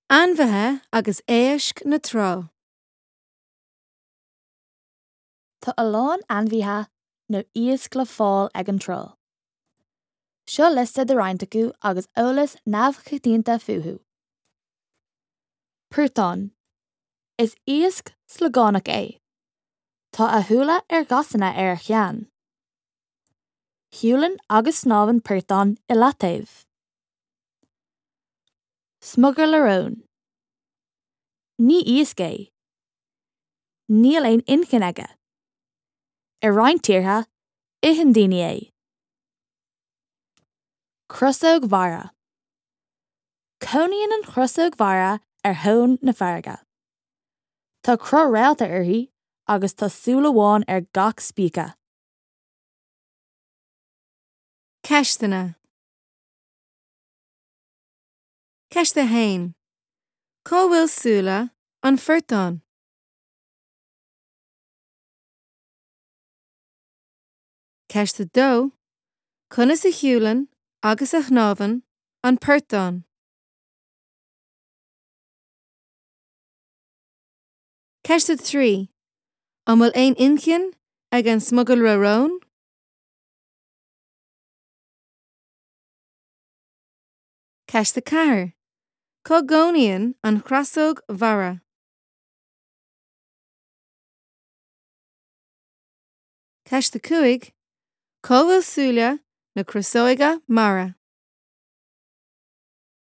Ainmhithe agus éisc na trá. Tá a lán ainmhithe nó iasc le fáil ag an trá. Seo liosta de roinnt acu agus eolas neamhchoitianta fúthu. Portán. Is iasc sliogánach é. Tá a shúile ar ghasanna ar a cheann. Siúlann agus snámhann portán i leataobh. Smugairle róin. Ní iasc é. Níl aon inchinn aige. I roinnt tíortha, itheann daoine é. Crosóg mhara. Cónaíonn an chrosóg mhara ar thóin na farraige. Tá cruth réalta uirthi agus tá súil amháin ar gach spíce. Ceisteanna. Ceist 1. Cá bhfuil súile an phortáin? Ceist 2. Conas a shiúlann agus a shnámhann an portán? Ceist 3. An bhfuil aon inchinn ag an smugairle róin? Ceist 4. Cá gcónaíonn an chrosóg mhara? Ceist 5. Cá bhfuil súile na crosóige mara?